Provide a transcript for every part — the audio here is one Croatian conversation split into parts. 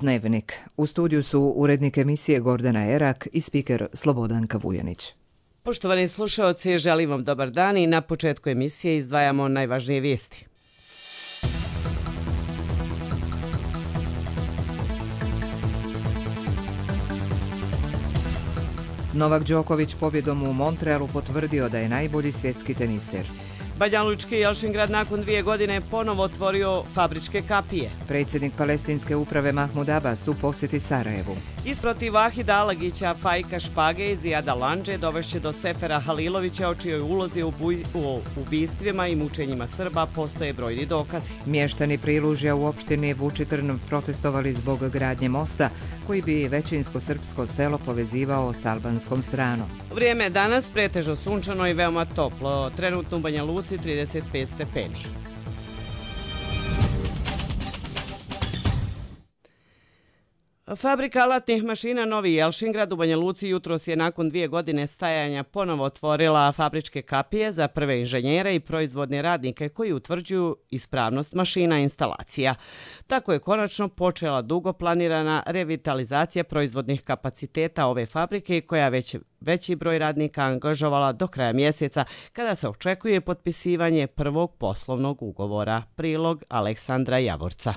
Dnevnik. U studiju su urednik emisije Gordana Erak i spiker Slobodanka Vujanić. Poštovani slušaoci, želim vam dobar dan i na početku emisije izdvajamo najvažnije vijesti. Novak Đoković pobjedom u Montrealu potvrdio da je najbolji svjetski teniser. Banjalučki Jelšingrad nakon 2 godine ponovo otvorio fabričke kapije. Predsjednik palestinske uprave Mahmud Abbas u posjeti Sarajevu. Isprotiv Vahida Alagića, Fajka Špage i Zijada Landže dovešće do Sefera Halilovića, o čijoj ulozi u ubistvima i mučenjima Srba postoje brojni dokazi. Mještani Prilužja u opštini Vučitrn protestovali zbog gradnje mosta koji bi većinsko srpsko selo povezivao s albanskom stranom. Vrijeme je danas pretežno sunčano i veoma toplo. Trenutno u Banja Luci 35 stepeni. Fabrika alatnih mašina Novi Jelšingrad u Banja Luci jutros je nakon 2 godine stajanja ponovo otvorila fabričke kapije za prve inženjere i proizvodne radnike koji utvrđuju ispravnost mašina i instalacija. Tako je konačno počela dugo planirana revitalizacija proizvodnih kapaciteta ove fabrike koja veći broj radnika angažovala do kraja mjeseca kada se očekuje potpisivanje prvog poslovnog ugovora. Prilog Aleksandra Javorca.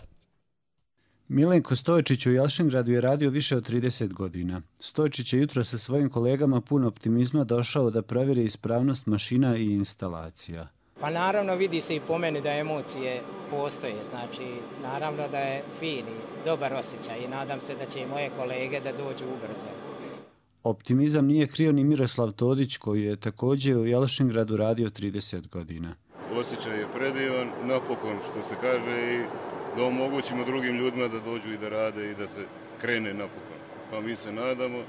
Milenko Stojčić u Jelšingradu je radio više od 30 godina. Stojčić je jutro sa svojim kolegama pun optimizma došao da provjeri ispravnost mašina i instalacija. Pa naravno vidi se i po meni da emocije postoje, znači naravno da je fin i dobar osjećaj i nadam se da će i moje kolege da dođu ubrzo. Optimizam nije krio ni Miroslav Todić koji je također u Jelšingradu radio 30 godina. Osjećaj je predivan, napokon što se kaže i da omogućimo drugim ljudima da dođu i da rade i da se krene napokon. Pa mi se nadamo,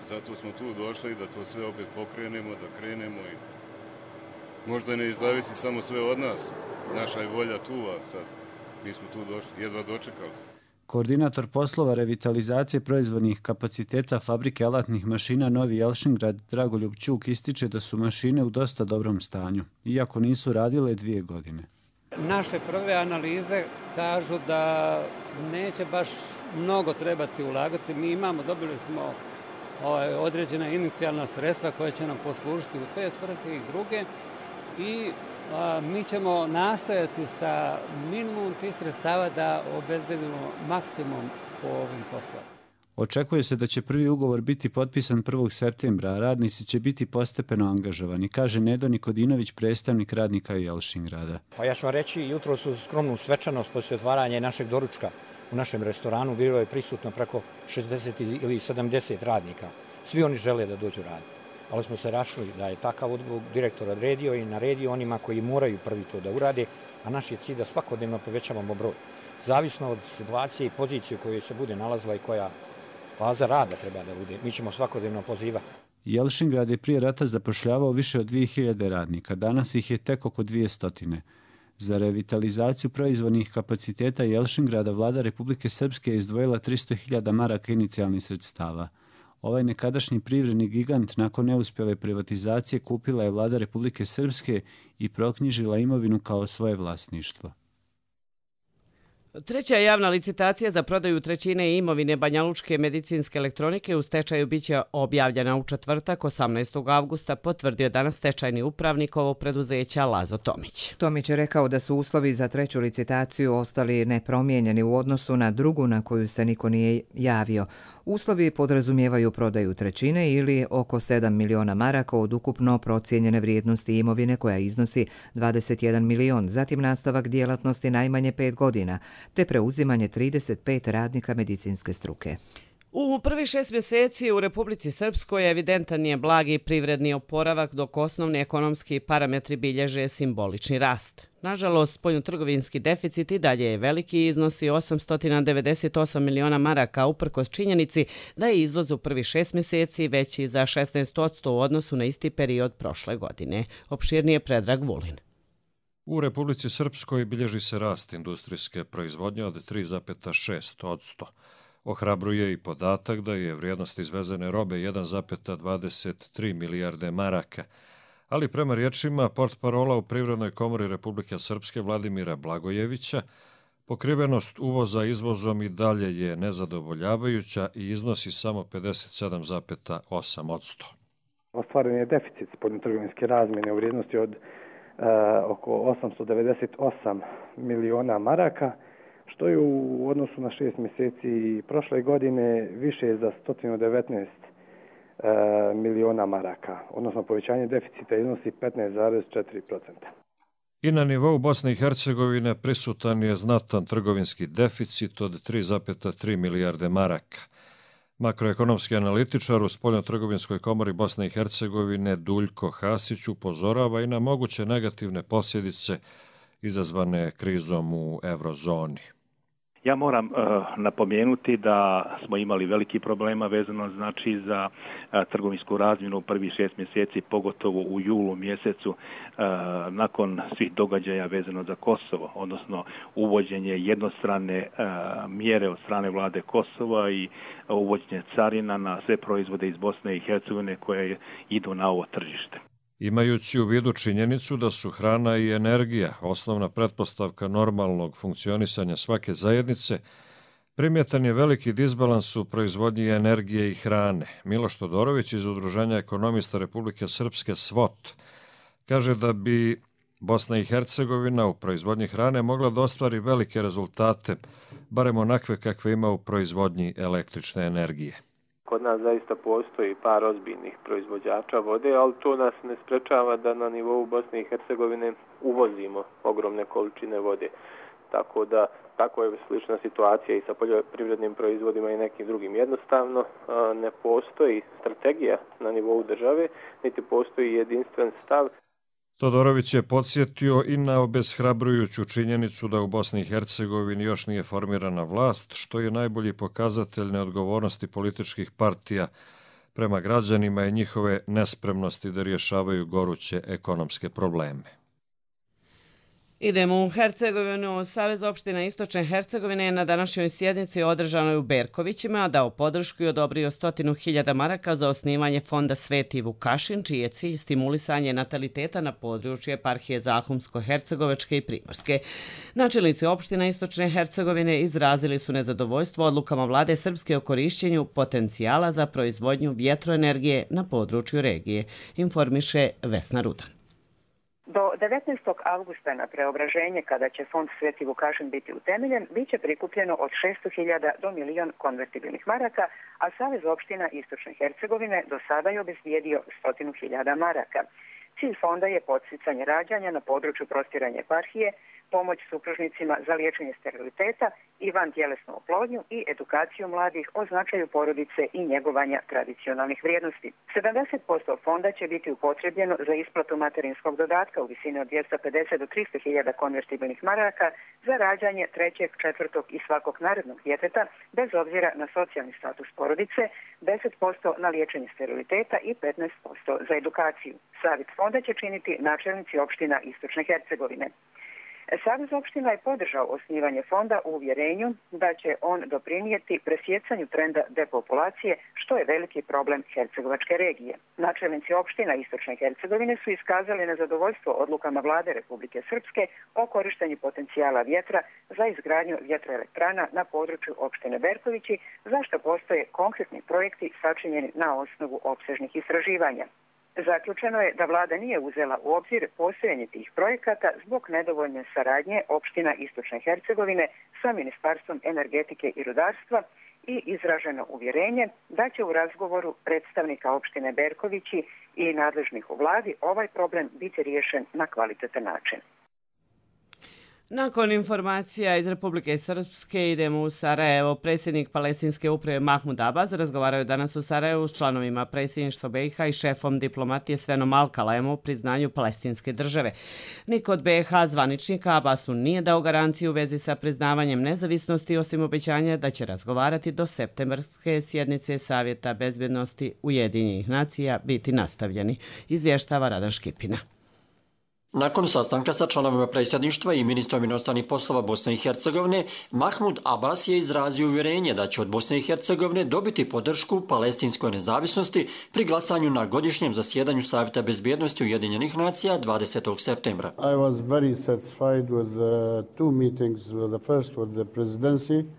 zato smo tu došli da to sve opet pokrenemo, da krenemo i možda ne zavisi samo sve od nas. Naša je volja tu, a sad mi smo tu došli, jedva dočekali. Koordinator poslova revitalizacije proizvodnih kapaciteta fabrike alatnih mašina Novi Jelšingrad Dragoljub Ćuk ističe da su mašine u dosta dobrom stanju, iako nisu radile 2 godine. Naše prve analize kažu da neće baš mnogo trebati ulagati. Dobili smo određena inicijalna sredstva koja će nam poslužiti u te svrhe i druge i mi ćemo nastojati sa minimum tih sredstava da obezbedimo maksimum po ovim poslovima. Očekuje se da će prvi ugovor biti potpisan 1. septembra, a radnici će biti postepeno angažovani, kaže Nedo Nikodinović, predstavnik radnika Jelšingrada. Pa ja ću vam reći, jutro su skromnu svečanost poslije otvaranja našeg doručka u našem restoranu. Bilo je prisutno preko 60 ili 70 radnika. Svi oni žele da dođu raditi. Ali smo se račuli da je takav direktor odredio i naredio onima koji moraju prvi to da urade, a naš je cilj da svakodnevno povećavamo broj. Zavisno od situacije i pozicije u kojoj se bude nalazila i koja faza rada treba da bude. Mi ćemo svakodnevno pozivati. Jelšingrad je prije rata zapošljavao više od 2000 radnika. Danas ih je tek oko 200. Za revitalizaciju proizvodnih kapaciteta Jelšingrada vlada Republike Srpske je izdvojila 300.000 maraka inicijalnih sredstava. Ovaj nekadašnji privredni gigant nakon neuspjele privatizacije kupila je vlada Republike Srpske i proknjižila imovinu kao svoje vlasništvo. Treća javna licitacija za prodaju trećine imovine Banjalučke medicinske elektronike u stečaju biće objavljena u četvrtak 18. avgusta, potvrdio danas stečajni upravnik ovog preduzeća Lazo Tomić. Tomić je rekao da su uslovi za treću licitaciju ostali nepromijenjeni u odnosu na drugu na koju se niko nije javio. Uslovi podrazumijevaju prodaju trećine ili oko 7 miliona maraka od ukupno procijenjene vrijednosti imovine koja iznosi 21 milion, zatim nastavak djelatnosti najmanje 5 godina, te preuzimanje 35 radnika medicinske struke. U prvih 6 mjeseci u Republici Srpskoj evidentan je blagi privredni oporavak, dok osnovni ekonomski parametri bilježe simbolični rast. Nažalost, spoljnotrgovinski deficit i dalje je veliki, iznosi 898 miliona maraka, uprkos činjenici da je izvoz u prvih 6 mjeseci veći za 16% u odnosu na isti period prošle godine. Opširnije Predrag Vulin. U Republici Srpskoj bilježi se rast industrijske proizvodnje od 3,6%. Ohrabruje i podatak da je vrijednost izvezene robe 1,23 milijarde maraka, ali prema riječima portparola u Privrednoj komori Republike Srpske Vladimira Blagojevića, Pokrivenost uvoza izvozom i dalje je nezadovoljavajuća i iznosi samo 57,8%. Ostvaren je deficit spoljnotrgovinske razmjene u vrijednosti od oko 898 miliona maraka, što je u odnosu na 6 mjeseci prošle godine više za 119 miliona maraka, odnosno povećanje deficita iznosi 15,4%. I na nivou Bosne i Hercegovine prisutan je znatan trgovinski deficit od 3,3 milijarde maraka. Makroekonomski analitičar u Spoljnotrgovinskoj komori Bosne i Hercegovine Duljko Hasić upozorava i na moguće negativne posljedice izazvane krizom u eurozoni. Ja moram napomenuti da smo imali veliki problema vezano znači za trgovinsku razmjenu u prvih 6 mjeseci, pogotovo u julu mjesecu nakon svih događaja vezano za Kosovo, odnosno uvođenje jednostrane mjere od strane vlade Kosova i uvođenje carina na sve proizvode iz Bosne i Hercegovine koje idu na ovo tržište. Imajući u vidu činjenicu da su hrana i energija osnovna pretpostavka normalnog funkcionisanja svake zajednice, primjetan je veliki disbalans u proizvodnji energije i hrane. Miloš Todorović iz Udruženja ekonomista Republike Srpske SWOT kaže da bi Bosna i Hercegovina u proizvodnji hrane mogla da ostvari velike rezultate, barem onakve kakve ima u proizvodnji električne energije. Kod nas zaista postoji par ozbiljnih proizvođača vode, ali to nas ne sprečava da na nivou Bosne i Hercegovine uvozimo ogromne količine vode. Tako da, tako je slična situacija i sa poljoprivrednim proizvodima i nekim drugim. Jednostavno ne postoji strategija na nivou države, niti postoji jedinstven stav. Todorović je podsjetio i na obeshrabrujuću činjenicu da u Bosni i Hercegovini još nije formirana vlast, što je najbolji pokazatelj neodgovornosti političkih partija prema građanima i njihove nespremnosti da rješavaju goruće ekonomske probleme. Idemo u Hercegovinu. Savez opština Istočne Hercegovine je na današnjoj sjednici održanoj u Berkovićima dao podršku i odobrio 100.000 maraka za osnivanje fonda Sveti Vukašin, čiji je cilj stimulisanje nataliteta na području eparhije Zahumsko-Hercegovačke i Primorske. Načelnici opština Istočne Hercegovine izrazili su nezadovoljstvo odlukama vlade Srpske o korišćenju potencijala za proizvodnju vjetroenergije na području regije, informiše Vesna Rudan. Do 19. avgusta na preobraženje, kada će fond Sveti Vukašin biti utemeljen, bit će prikupljeno od 600.000 do 1.000.000 konvertibilnih maraka, a Savez opština Istočne Hercegovine do sada je obezbijedio 100.000 maraka. Cilj fonda je podsticanje rađanja na području prostiranja eparhije, pomoć supružnicima za liječenje steriliteta i vantjelesnu oplodnju i edukaciju mladih o značaju porodice i njegovanja tradicionalnih vrijednosti. 70% fonda će biti upotrebljeno za isplatu materinskog dodatka u visini od 250 do 300.000 konvertibilnih maraka za rađanje trećeg, četvrtog i svakog narednog djeteta, bez obzira na socijalni status porodice, 10% na liječenje steriliteta i 15% za edukaciju. Savjet fonda će činiti načelnici opština Istočne Hercegovine. Savez opština je podržao osnivanje fonda u uvjerenju da će on doprinijeti presjecanju trenda depopulacije, što je veliki problem Hercegovačke regije. Načelnici opština Istočne Hercegovine su iskazali nezadovoljstvo odlukama vlade Republike Srpske o korištenju potencijala vjetra za izgradnju vjetroelektrana na području opštine Berkovići, za što postoje konkretni projekti sačinjeni na osnovu opsežnih istraživanja. Zaključeno je da vlada nije uzela u obzir postojanje tih projekata zbog nedovoljne saradnje opština Istočne Hercegovine sa Ministarstvom energetike i rudarstva i izraženo uvjerenje da će u razgovoru predstavnika opštine Berkovići i nadležnih u vladi ovaj problem biti riješen na kvalitetan način. Nakon informacija iz Republike Srpske idemo u Sarajevo. Predsjednik Palestinske uprave Mahmud Abbas razgovaraju danas u Sarajevu s članovima predsjedništva BiH i šefom diplomatije Svenom Al-Kalaemom u priznanju palestinske države. Niko od BiH zvaničnika Abbasu nije dao garanciju u vezi sa priznavanjem nezavisnosti, osim obećanja da će razgovarati do septembarske sjednice Savjeta bezbjednosti Ujedinjenih nacija biti nastavljeni, izvještava Radan Škipina. Nakon sastanka sa članovima predsjedništva i ministrom inostranih poslova Bosne i Hercegovine, Mahmud Abbas je izrazio uvjerenje da će od Bosne i Hercegovine dobiti podršku palestinskoj nezavisnosti pri glasanju na godišnjem zasjedanju Savjeta bezbjednosti Ujedinjenih nacija 20. septembra.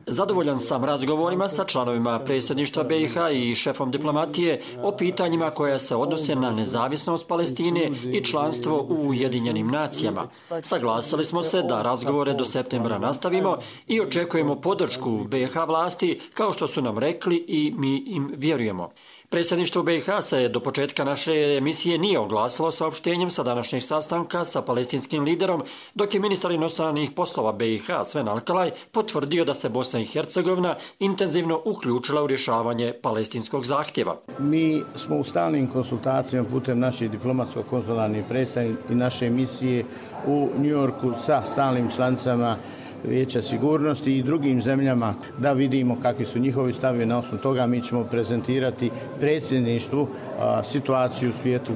Zadovoljan sam razgovorima sa članovima predsjedništva BiH i šefom diplomatije o pitanjima koja se odnose na nezavisnost Palestine i članstvo u Ujedinjenim nacijama. Saglasili smo se da razgovore do septembra nastavimo i očekujemo podršku BiH vlasti kao što su nam rekli i mi im vjerujemo. Predsjedništvo BiH se do početka naše emisije nije oglasilo saopštenjem sa današnjeg sastanka sa palestinskim liderom, dok je ministar inostranih poslova BiH Sven Alkalaj potvrdio da se Bosna i Hercegovina intenzivno uključila u rješavanje palestinskog zahtjeva. Mi smo u stalnim konsultacijama putem naših diplomatsko-konzularnih predstavnika i naše misije u Njujorku sa stalnim članicama Vijeća sigurnosti i drugim zemljama da vidimo kakvi su njihovi stavovi. Na osnovu toga mi ćemo prezentirati predsjedništvu situaciju u svijetu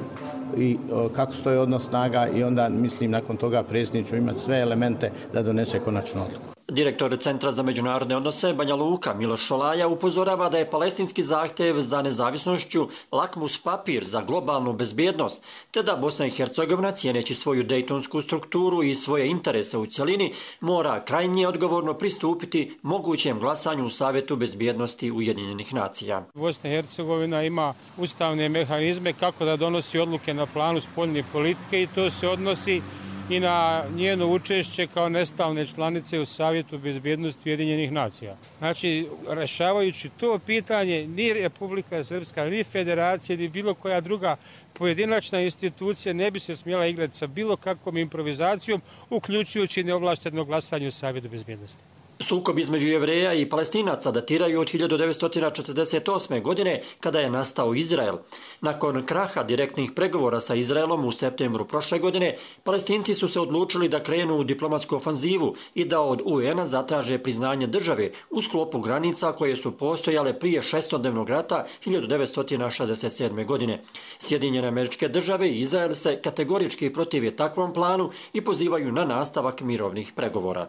i kako stoji odnos snaga i onda mislim nakon toga predsjednik će imati sve elemente da donese konačnu odluku. Direktor Centra za međunarodne odnose Banja Luka Miloš Šolaja upozorava da je palestinski zahtjev za nezavisnošću lakmus papir za globalnu bezbjednost, te da Bosna i Hercegovina, cijeneći svoju dejtonsku strukturu i svoje interese u cjelini, mora krajnje odgovorno pristupiti mogućem glasanju u Savjetu bezbjednosti Ujedinjenih nacija. Bosna i Hercegovina ima ustavne mehanizme kako da donosi odluke na planu spoljne politike i to se odnosi i na njeno učešće kao nestalne članice u Savjetu bezbjednosti Ujedinjenih nacija. Znači, rešavajući to pitanje, ni Republika Srpska, ni Federacija, ni bilo koja druga pojedinačna institucija ne bi se smjela igrati sa bilo kakvom improvizacijom, uključujući neovlašteno glasanje u Savjetu bezbjednosti. Sukob između Jevreja i Palestinaca datiraju od 1948. godine kada je nastao Izrael. Nakon kraha direktnih pregovora sa Izraelom u septembru prošle godine, Palestinci su se odlučili da krenu u diplomatsku ofanzivu i da od UN-a zatraže priznanje države u sklopu granica koje su postojale prije šestodnevnog rata 1967. godine. Sjedinjene Američke Države i Izrael se kategorički protive takvom planu i pozivaju na nastavak mirovnih pregovora.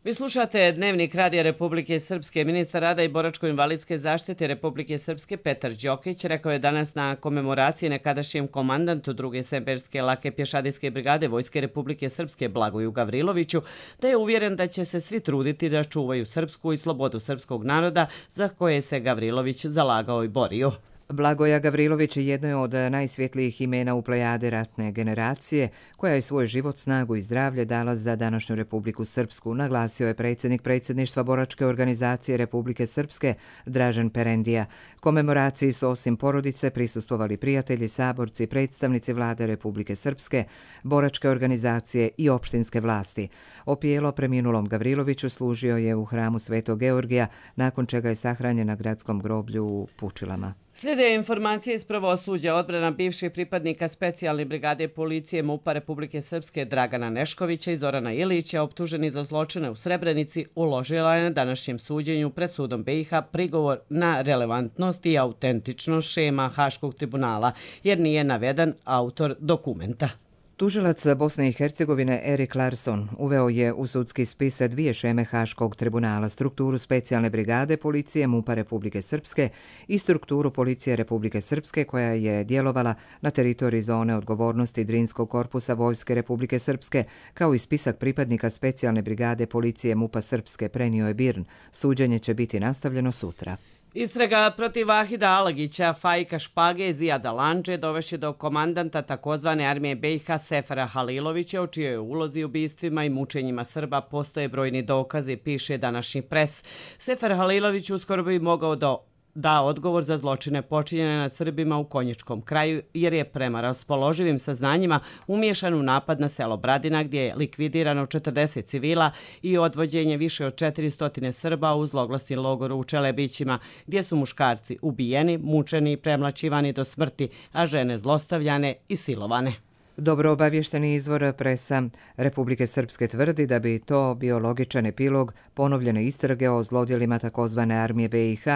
Vi slušate Dnevnik Radija Republike Srpske. Ministar rada i boračko-invalidske zaštite Republike Srpske Petar Đokić rekao je danas na komemoraciji nekadašnjem komandantu 2. semperske lake pješadijske brigade Vojske Republike Srpske Blagoju Gavriloviću da je uvjeren da će se svi truditi da čuvaju srpsku i slobodu srpskog naroda za koje se Gavrilović zalagao i borio. Blagoja Gavrilović jedno je od najsvjetlijih imena u plejade ratne generacije, koja je svoj život, snagu i zdravlje dala za današnju Republiku Srpsku, naglasio je predsjednik predsjedništva Boračke organizacije Republike Srpske Dražen Perendija. Komemoraciji su osim porodice prisustvovali prijatelji, saborci, predstavnici vlade Republike Srpske, Boračke organizacije i opštinske vlasti. Opijelo preminulom Gavriloviću služio je u hramu Svetog Georgija, nakon čega je sahranjen na gradskom groblju u Pučilama. Slijede informacije iz pravosuđa. Odbrana bivših pripadnika specijalne brigade policije MUP-a Republike Srpske Dragana Neškovića i Zorana Ilića, optuženi za zločine u Srebrenici, uložila je na današnjem suđenju pred sudom BiH prigovor na relevantnost i autentičnost šema Haškog tribunala, jer nije naveden autor dokumenta. Tužilac Bosne i Hercegovine Erik Larsson uveo je u sudski spis dvije šeme Haškog tribunala, strukturu specijalne brigade policije MUP-a Republike Srpske i strukturu policije Republike Srpske koja je djelovala na teritoriji zone odgovornosti Drinskog korpusa Vojske Republike Srpske, kao i spisak pripadnika specijalne brigade policije MUP-a Srpske, prenio je BIRN. Suđenje će biti nastavljeno sutra. Istraga protiv Vahida Alagića, Fajka Špage i Zijada Landže dovešće do komandanta takozvane armije BiH Sefera Halilovića, o čijoj ulozi ubistvima i mučenjima Srba postoje brojni dokazi, piše današnji Pres. Sefer Halilović uskoro bi mogao da odgovor za zločine počinjene nad Srbima u Konjičkom kraju, jer je prema raspoloživim saznanjima umiješan u napad na selo Bradina, gdje je likvidirano 40 civila i odvođenje više od 400 Srba u zloglasni logor u Čelebićima, gdje su muškarci ubijeni, mučeni i premlaćivani do smrti, a žene zlostavljane i silovane. Dobro obavješteni izvor Presa Republike Srpske tvrdi da bi to bio logičan epilog ponovljene istrage o zlodjelima takozvane armije BiH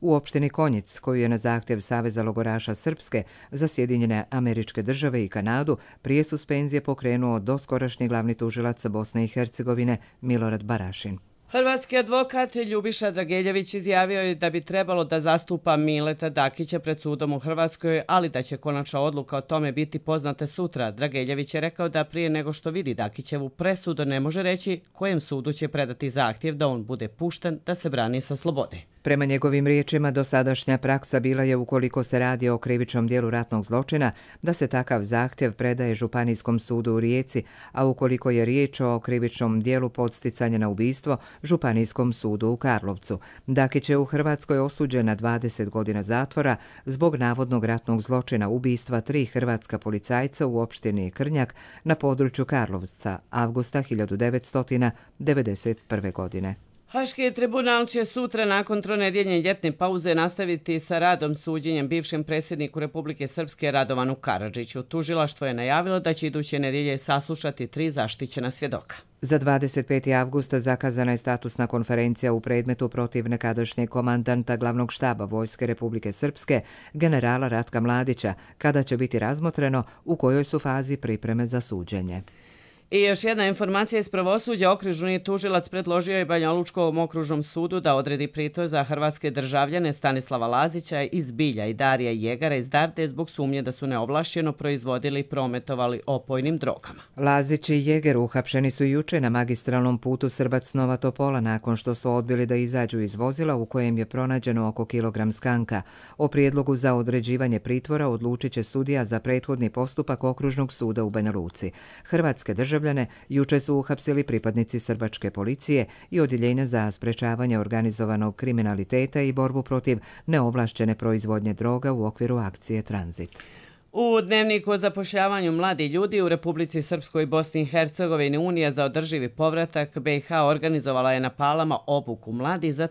u opštini Konjic, koju je na zahtjev Saveza logoraša Srpske za Sjedinjene Američke Države i Kanadu prije suspenzije pokrenuo doskorašnji glavni tužilac Bosne i Hercegovine Milorad Barašin. Hrvatski advokat Ljubiša Drageljević izjavio je da bi trebalo da zastupa Mileta Dakića pred sudom u Hrvatskoj, ali da će konačna odluka o tome biti poznata sutra. Drageljević je rekao da prije nego što vidi Dakićevu presudu ne može reći kojem sudu će predati zahtjev da on bude pušten da se brani sa slobode. Prema njegovim riječima, dosadašnja praksa bila je, ukoliko se radi o krivičnom dijelu ratnog zločina, da se takav zahtjev predaje Županijskom sudu u Rijeci, a ukoliko je riječ o krivičnom dijelu podsticanja na ubistvo, Županijskom sudu u Karlovcu. Dakić je u Hrvatskoj osuđen na 20 godina zatvora zbog navodnog ratnog zločina ubistva 3 hrvatska policajca u opštini Krnjak na području Karlovca avgusta 1991. godine. Haški tribunal će sutra nakon tronedjeljne ljetne pauze nastaviti sa radom suđenjem bivšem predsjedniku Republike Srpske Radovanu Karadžiću. Tužilaštvo je najavilo da će iduće nedjelje saslušati 3 zaštićena svjedoka. Za 25. avgusta zakazana je statusna konferencija u predmetu protiv nekadašnjeg komandanta glavnog štaba Vojske Republike Srpske, generala Ratka Mladića, kada će biti razmotreno u kojoj su fazi pripreme za suđenje. I još jedna informacija iz pravosuđa. Okružni tužilac predložio je Banjalučkom okružnom sudu da odredi pritvor za hrvatske državljane Stanislava Lazića iz Bilja i Darija Jegara iz Darde zbog sumnje da su neovlašćeno proizvodili i prometovali opojnim drogama. Lazić i Jeger uhapšeni su juče na magistralnom putu Srbac-Nova Topola nakon što su odbili da izađu iz vozila u kojem je pronađeno oko kilogram skanka. O prijedlogu za određivanje pritvora odlučit će sudija za prethodni postupak Okružnog suda u Banja Luci. Hrvatske državljane juče su uhapsili pripadnici srbačke policije i odjeljenja za sprečavanje organizovanog kriminaliteta i borbu protiv neovlašćene proizvodnje droga u okviru akcije Tranzit. U dnevniku o zapošljavanju mladih ljudi u Republici Srpskoj i Bosni i Hercegovini Unija za održivi povratak BiH organizovala je na Palama obuku mladih za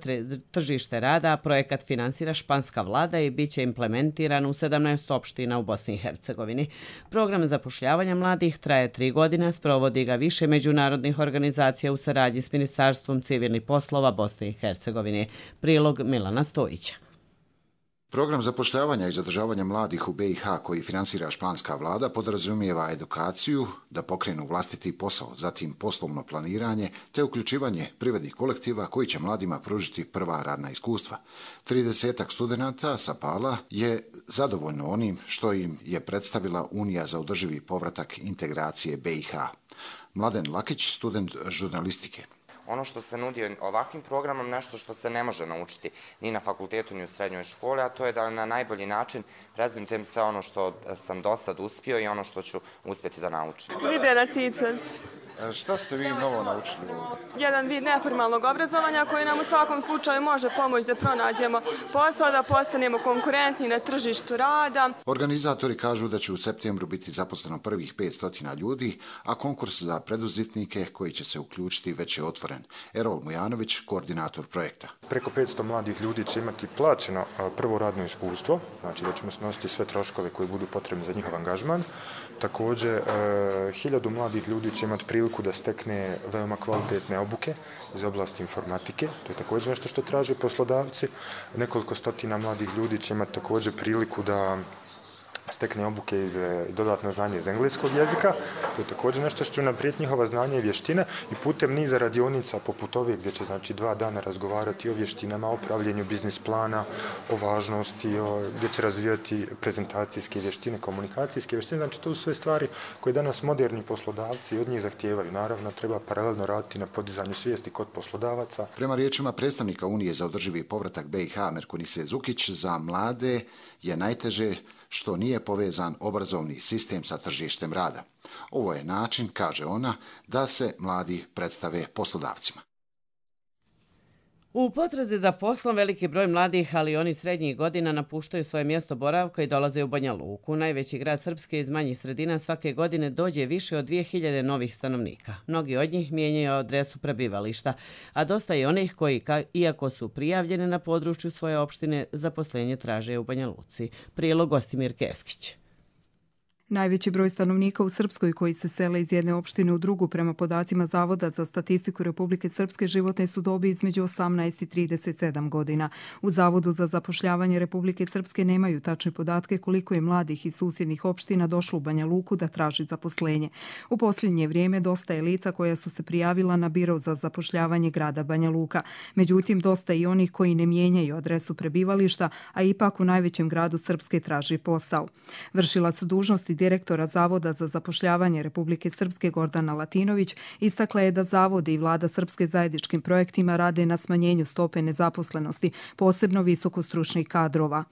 tržište rada, a projekat finansira španska vlada i bit će implementiran u 17 opština u Bosni i Hercegovini. Program zapošljavanja mladih traje 3 godine, sprovodi ga više međunarodnih organizacija u saradnji s Ministarstvom civilnih poslova Bosne i Hercegovine. Prilog Milana Stojića. Program zapošljavanja i zadržavanja mladih u BiH koji finansira španska vlada podrazumijeva edukaciju, da pokrenu vlastiti posao, zatim poslovno planiranje te uključivanje privrednih kolektiva koji će mladima pružiti prva radna iskustva. 30 studenata sa Pala je zadovoljno onim što im je predstavila Unija za održivi povratak integracije BiH. Mladen Lakić, student žurnalistike. Ono što se nudi ovakvim programom, nešto što se ne može naučiti ni na fakultetu ni u srednjoj školi, a to je da na najbolji način prezentujem sve ono što sam do sad uspio i ono što ću uspjeti da naučim. Lidera Cicević. Šta ste vi novo naučili ovdje? Jedan vid neformalnog obrazovanja koji nam u svakom slučaju može pomoći da pronađemo posao, da postanemo konkurentni na tržištu rada. Organizatori kažu da će u septembru biti zaposleno prvih 500 ljudi, a konkurs za preduzetnike koji će se uključiti već je otvoren. Erol Mujanović, koordinator projekta. Preko 500 mladih ljudi će imati plaćeno prvo radno iskustvo, znači da ćemo snositi sve troškove koji budu potrebni za njihov angažman. Također, 1000 mladih ljudi će imati priliku da stekne veoma kvalitetne obuke iz oblasti informatike. To je također nešto što traže poslodavci. Nekoliko stotina mladih ljudi će imati također priliku da stekne obuke i dodatno znanje iz engleskog jezika. To je također nešto što će unaprijed njihova znanja i vještine i putem niza radionica poput ove gdje će 2 dana razgovarati o vještinama, o pravljenju biznis plana, o važnosti, gdje će razvijati prezentacijske vještine, komunikacijske vještine. Znači to su sve stvari koje danas moderni poslodavci od njih zahtijevaju. Naravno treba paralelno raditi na podizanju svijesti kod poslodavaca. Prema riječima predstavnika Unije za održivi povratak BiH Merkunise Zukić, za mlade je najteže što nije povezan obrazovni sistem sa tržištem rada. Ovo je način, kaže ona, da se mladi predstave poslodavcima. U potrazi za poslom veliki broj mladih, ali i oni srednjih godina napuštaju svoje mjesto boravka i dolaze u Banja Luku. Najveći grad Srpske iz manjih sredina svake godine dođe više od 2000 novih stanovnika. Mnogi od njih mijenjaju adresu prebivališta, a dosta je onih koji, iako su prijavljene na području svoje opštine, zaposlenje traže u Banja Luci. Prilog Gostimir Keskić. Najveći broj stanovnika u Srpskoj koji se sele iz jedne opštine u drugu prema podacima Zavoda za statistiku Republike Srpske životne su dobi između 18 i 37 godina. U Zavodu za zapošljavanje Republike Srpske nemaju tačne podatke koliko je mladih iz susjednih opština došlo u Banja Luku da traži zaposlenje. U posljednje vrijeme dosta je lica koja su se prijavila na biro za zapošljavanje grada Banja Luka. Međutim, dosta i onih koji ne mijenjaju adresu prebivališta, a ipak u najvećem gradu Srpske traži posao. Vršila su dužnosti direktora Zavoda za zapošljavanje Republike Srpske Gordana Latinović istakla je da Zavodi i vlada Srpske zajedničkim projektima rade na smanjenju stope nezaposlenosti, posebno visokostručnih kadrova.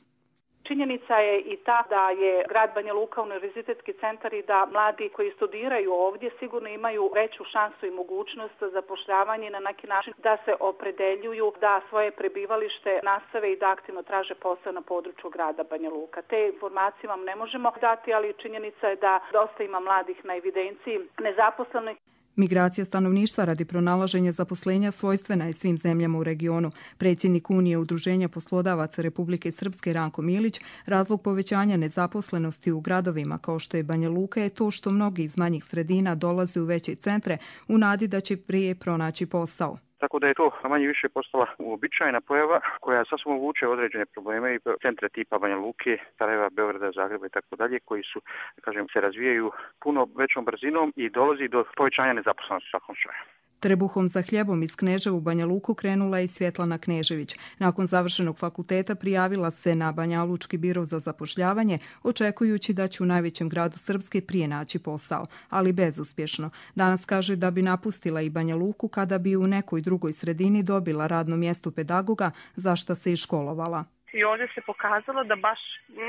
Činjenica je i ta da je grad Banja Luka univerzitetski centar i da mladi koji studiraju ovdje sigurno imaju veću šansu i mogućnost za zapošljavanje na neki način da se opredeljuju da svoje prebivalište nastave i da aktivno traže posao na području grada Banja Luka. Te informacije vam ne možemo dati, ali činjenica je da dosta ima mladih na evidenciji nezaposlenih. Migracija stanovništva radi pronalaženja zaposlenja svojstvena je svim zemljama u regionu. Predsjednik Unije Udruženja poslodavaca Republike Srpske Ranko Milić, razlog povećanja nezaposlenosti u gradovima kao što je Banja Luka je to što mnogi iz manjih sredina dolaze u veće centre u nadi da će prije pronaći posao. Tako da je to manje više postala uobičajena pojava koja sasvim vuče određene probleme i centre tipa Banja Luke, Sarajeva, Beograda, Zagreba i tako dalje koji su, se razvijaju puno većom brzinom i dolazi do povećanja nezaposlenosti u svakom slučaju. Trbuhom za hljebom iz Kneževa u Banja Luku krenula je i Svjetlana Knežević. Nakon završenog fakulteta prijavila se na Banjalučki biro za zapošljavanje, očekujući da će u najvećem gradu Srpske prije naći posao, ali bezuspješno. Danas kaže da bi napustila i Banja Luku kada bi u nekoj drugoj sredini dobila radno mjesto pedagoga, za što se i školovala. I ovdje se pokazalo da baš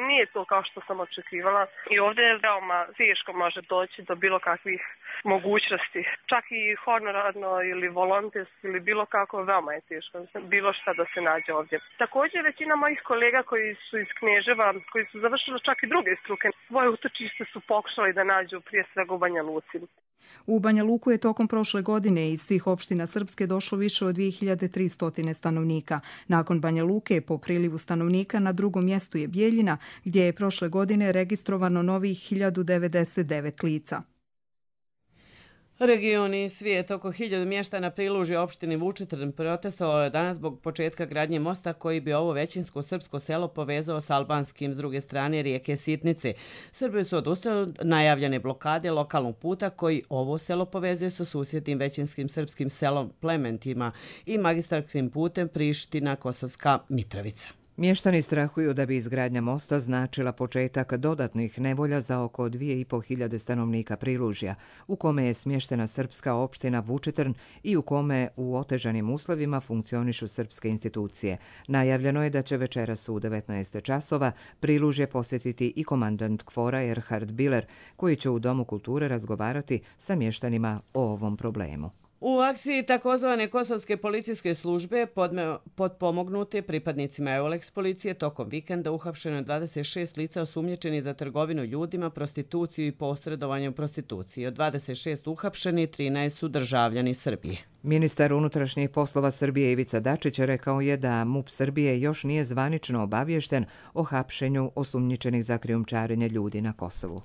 nije to kao što sam očekivala i ovdje je veoma teško može doći do bilo kakvih mogućnosti. Čak i honorarno ili volonterski ili bilo kako veoma je teško bilo šta da se nađe ovdje. Također većina mojih kolega koji su iz Kneževa, koji su završili čak i druge struke, svoje utočište su pokušali da nađu prije svega u Banja Luci. U Banja Luku je tokom prošle godine iz svih opština Srpske došlo više od 2300 stanovnika. Nakon Banja Luke po prilivu stanovnika na drugom mjestu je Bijeljina, gdje je prošle godine registrovano novih 1099 lica. Regioni i svijet oko 1000 mještana Prilužja opštini Vučitrn protestovalo je danas zbog početka gradnje mosta koji bi ovo većinsko srpsko selo povezao s albanskim s druge strane rijeke Sitnice. Srbi su odustali od najavljene blokade lokalnog puta koji ovo selo povezuje sa susjednim većinskim srpskim selom Plementima i magistarskim putem Priština-Kosovska Mitrovica. Mještani strahuju da bi izgradnja mosta značila početak dodatnih nevolja za oko 2500 stanovnika Prilužja, u kome je smještena srpska opština Vučitrn i u kome u otežanim uslovima funkcionišu srpske institucije. Najavljeno je da će večeras u 19 časova Prilužje posjetiti i komandant KFOR-a Erhard Biller, koji će u Domu kulture razgovarati sa mještanima o ovom problemu. U akciji takozvane kosovske policijske službe potpomognute pripadnicima EULEX policije tokom vikenda uhapšeno je 26 lica osumnjičeni za trgovinu ljudima, prostituciju i posredovanje u prostituciji. Od 26 uhapšeni 13 su državljani Srbije. Ministar unutrašnjih poslova Srbije Ivica Dačić rekao je da MUP Srbije još nije zvanično obaviješten o hapšenju osumnjičenih za krijumčarenje ljudi na Kosovu.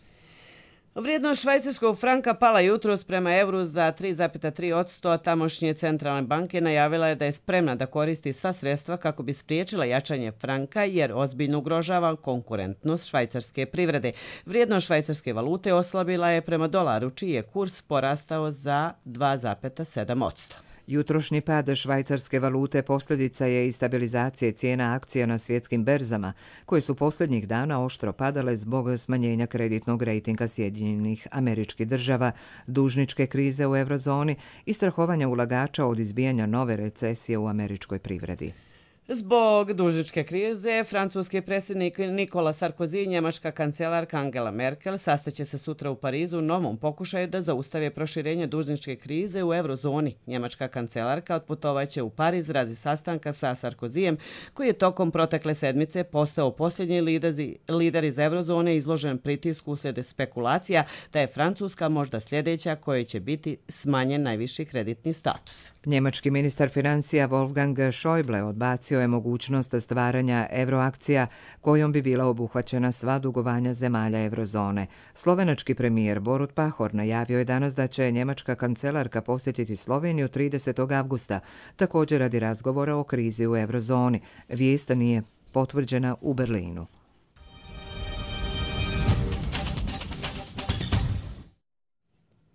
Vrijednost švajcarskog franka pala jutros prema evru za 3,3%, a tamošnje centralne banke najavila je da je spremna da koristi sva sredstva kako bi spriječila jačanje franka jer ozbiljno ugrožava konkurentnost švajcarske privrede. Vrijednost švajcarske valute oslabila je prema dolaru, čiji je kurs porastao za 2,7%. Jutrošnji pad švajcarske valute posljedica je i stabilizacije cijena akcija na svjetskim berzama, koje su posljednjih dana oštro padale zbog smanjenja kreditnog rejtinga Sjedinjenih Američkih Država, dužničke krize u eurozoni i strahovanja ulagača od izbijanja nove recesije u američkoj privredi. Zbog dužničke krize, francuski predsjednik Nicolas Sarkozy i njemačka kancelarka Angela Merkel sastaće se sutra u Parizu u novom pokušaju da zaustave proširenje dužničke krize u eurozoni. Njemačka kancelarka otputovaće u Pariz radi sastanka sa Sarkozyjem, koji je tokom protekle sedmice postao posljednji lider iz eurozone izložen pritisku uslijed spekulacija da je Francuska možda sljedeća kojoj će biti smanjen najviši kreditni status. Njemački ministar financija Wolfgang Schäuble odbacio iskoristio je mogućnost stvaranja euroakcija kojom bi bila obuhvaćena sva dugovanja zemalja eurozone. Slovenački premijer Borut Pahor najavio je danas da će njemačka kancelarka posjetiti Sloveniju 30. avgusta, također radi razgovora o krizi u eurozoni. Vijest nije potvrđena u Berlinu.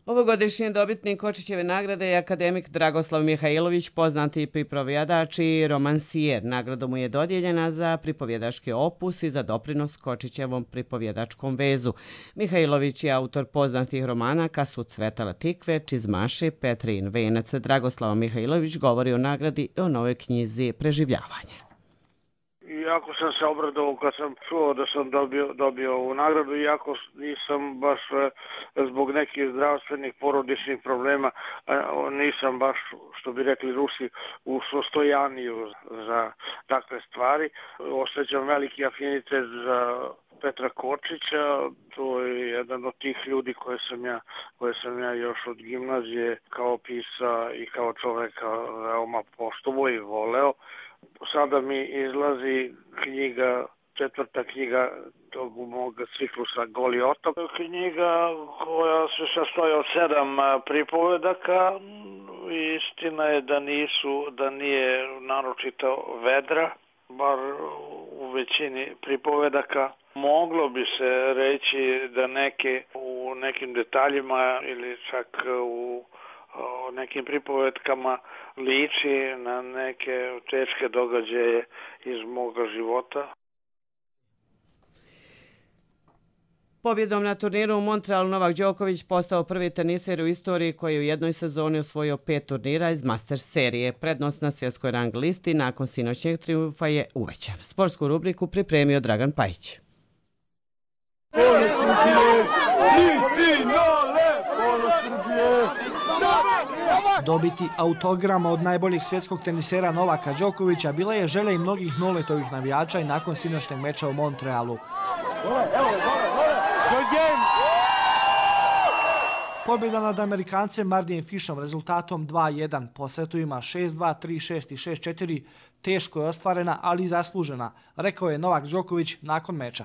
Ovogodišnji dobitnik Kočićeve nagrade je akademik Dragoslav Mihajlović, poznati pripovjedač i romansijer. Nagrada mu je dodijeljena za pripovjedački opus i za doprinos Kočićevom pripovjedačkom vezu. Mihajlović je autor poznatih romana Kad su cvetale tikve, Čizmaši, Petrin venac. Dragoslav Mihajlović govori o nagradi i o novoj knjizi Preživljavanje. Jako sam se obradovao kad sam čuo da sam dobio ovu nagradu, iako nisam baš zbog nekih zdravstvenih porodičnih problema, nisam baš, što bi rekli Rusi, u sostojaniju za takve stvari. Osjećam veliki afinitet za Petra Kočića, to je jedan od tih ljudi koje sam ja još od gimnazije kao pisa i kao čoveka veoma poštovao i voleo. Sada mi izlazi četvrta knjiga tog mog ciklusa Goli otok. Knjiga koja se sastoji od 7 pripovedaka. Istina je da nije naročito vedra, bar u većini pripovedaka. Moglo bi se reći da neke u nekim detaljima ili čak u nekim pripovetkama liči na neke teške događaje iz moga života. Pobjedom na turniru u Montrealu Novak Đoković postao prvi teniser u istoriji koji je u jednoj sezoni osvojio 5 turnira iz Masters serije. Prednost na svjetskoj rang listi nakon sinoćnjeg triumfa je uvećana. Sportsku rubriku pripremio Dragan Pajić. Dobiti autogram od najboljih svjetskog tenisera Novaka Đokovića bila je želja i mnogih Noletovih navijača i nakon sinoćnjeg meča u Montrealu. Pobjeda nad Amerikancem Mardijem Fišom rezultatom 2-1 po setovima 6-2, 3-6 i 6-4 teško je ostvarena, ali i zaslužena, rekao je Novak Đoković nakon meča.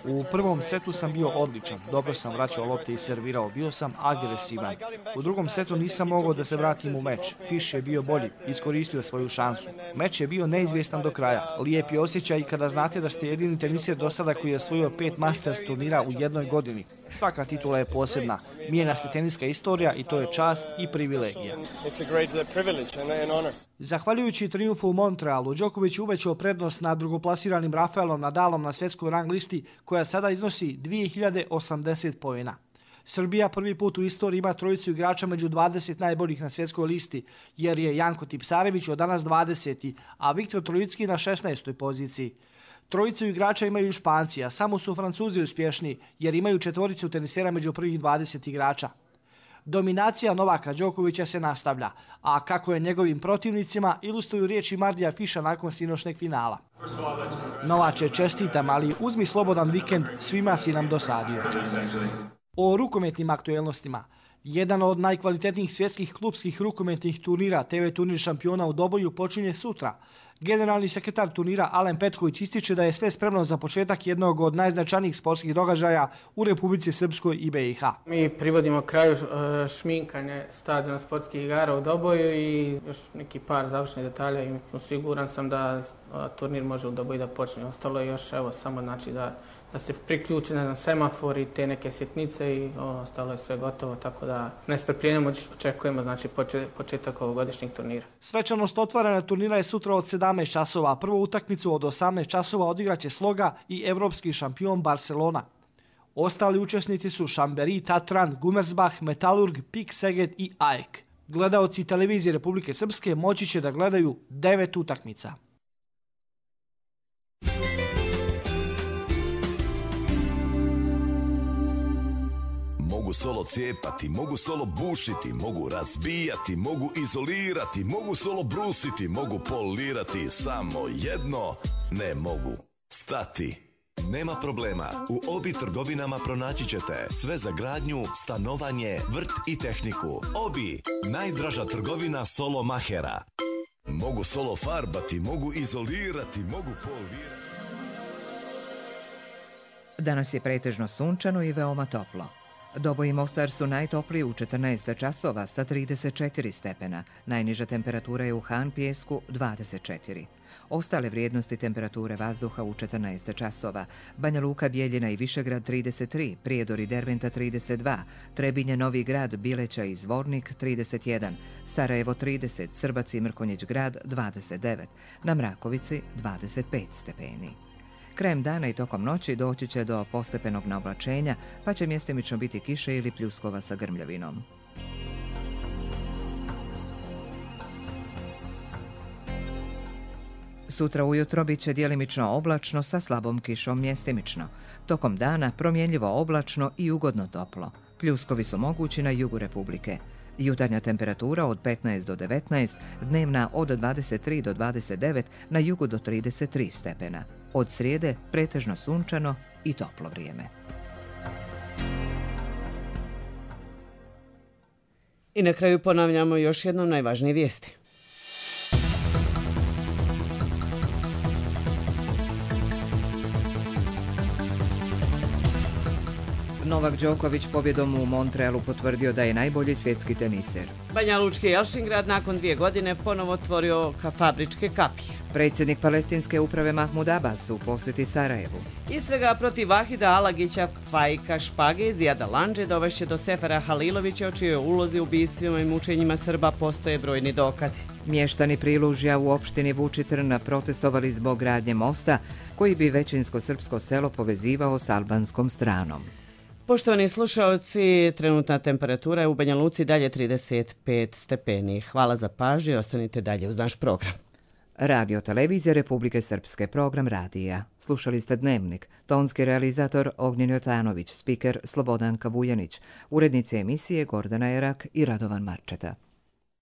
U prvom setu sam bio odličan, dobro sam vraćao lopte i servirao, bio sam agresivan. U drugom setu nisam mogao da se vratim u meč. Fiš je bio bolji, iskoristio je svoju šansu. Meč je bio neizvjestan do kraja. Lijep je osjećaj kada znate da ste jedini teniser do sada koji je osvojio 5 Masters turnira u jednoj godini. Svaka titula je posebna. Mijenja se teniska istorija i to je čast i privilegija. Zahvaljujući triumfu u Montrealu, Đoković uvećao prednost nad drugoplasiranim Rafaelom Nadalom na svjetskoj rang listi koja sada iznosi 2080 poena. Srbija prvi put u istoriji ima trojicu igrača među 20 najboljih na svjetskoj listi, jer je Janko Tipsarević od danas 20. a Viktor Trojicki na 16. poziciji. Trojicu igrača imaju i Španci, a samo su Francuzi uspješni, jer imaju četvoricu tenisera među prvih 20 igrača. Dominacija Novaka Đokovića se nastavlja, a kako je njegovim protivnicima ilustruju riječi Mardija Fiša nakon sinoćnjeg finala. Novače, čestitam, ali uzmi slobodan vikend, svima si nam dosadio. O rukometnim aktuelnostima. Jedan od najkvalitetnijih svjetskih klubskih rukometnih turnira, TV turnir šampiona u Doboju, počinje sutra. Generalni sekretar turnira Alen Petković ističe da je sve spremno za početak jednog od najznačajnijih sportskih događaja u Republici Srpskoj i BiH. Mi privodimo kraju šminkanje stadiona sportskih igara u Doboju i još neki par završnih detalja i siguran sam da turnir može u Doboju da počne. Ostalo je još samo znači da se priključi na semafor i te neke sitnice i ostalo je sve gotovo, tako da nestrpljenjem očekujemo znači početak ovogodišnjeg turnira. Svečanost otvaranja turnira je sutra od 17 časova. Prvu utakmicu od 18 časova odigraće Sloga i evropski šampion Barcelona. Ostali učesnici su Šamberi, Tatran, Gumersbach, Metalurg, Pik Seget i AEK. Gledaoci televizije Republike Srpske moći će da gledaju 9 utakmica. Mogu solo cijepati, mogu solo bušiti, mogu razbijati, mogu izolirati, mogu solo brusiti, mogu polirati, samo jedno ne mogu stati. Nema problema, u Obi trgovinama pronaći ćete sve za gradnju, stanovanje, vrt i tehniku. Obi, najdraža trgovina solo mahera. mogu solo farbati, mogu izolirati, mogu polirati. Danas je pretežno sunčano i veoma toplo. Doboj i Mostar su najtopliji u 14 časova sa 34 stepena. Najniža temperatura je u Han Pijesku 24. Ostale vrijednosti temperature vazduha u 14 časova. Banja Luka, Bijeljina i Višegrad 33, Prijedor i Derventa 32, Trebinje, Novi Grad, Bileća i Zvornik 31, Sarajevo 30, Srbac i Mrkonjić Grad 29, na Mrakovici 25 stepeni. Krajem dana i tokom noći doći će do postepenog naoblačenja, pa će mjestimično biti kiše ili pljuskova sa grmljavinom. Sutra ujutro bit će djelimično oblačno sa slabom kišom mjestimično. Tokom dana promjenljivo oblačno i ugodno toplo. Pljuskovi su mogući na jugu Republike. Jutarnja temperatura od 15 do 19, dnevna od 23 do 29, na jugu do 33 stepena. Od srijede pretežno sunčano i toplo vrijeme. I na kraju ponavljamo još jednom najvažnije vijesti. Novak Đoković pobjedom u Montrealu potvrdio da je najbolji svjetski teniser. Banjalučki Jelšingrad nakon 2 godine ponovo otvorio fabričke kapije. Predsjednik palestinske uprave Mahmud Abbas u posjeti Sarajevu. Istraga protiv Vahida Alagića, Fajka Špage iz Jada Landže dovešće do Sefera Halilovića, o čijoj ulozi u ubistvima i mučenjima Srba postoje brojni dokazi. Mještani Prilužja u opštini Vučitrn protestovali zbog gradnje mosta koji bi većinsko srpsko selo povezivao s albanskom stranom. Poštovani slušalci, trenutna temperatura je u Banja Luci dalje 35 stepeni. Hvala za pažnju i ostanite dalje uz naš program. Radio Televizija Republike Srpske, program radija. Slušali ste Dnevnik. Tonski realizator Ognjen Jotanović, spiker Slobodanka Vujanić, urednici emisije Gordana Erak i Radovan Marčeta.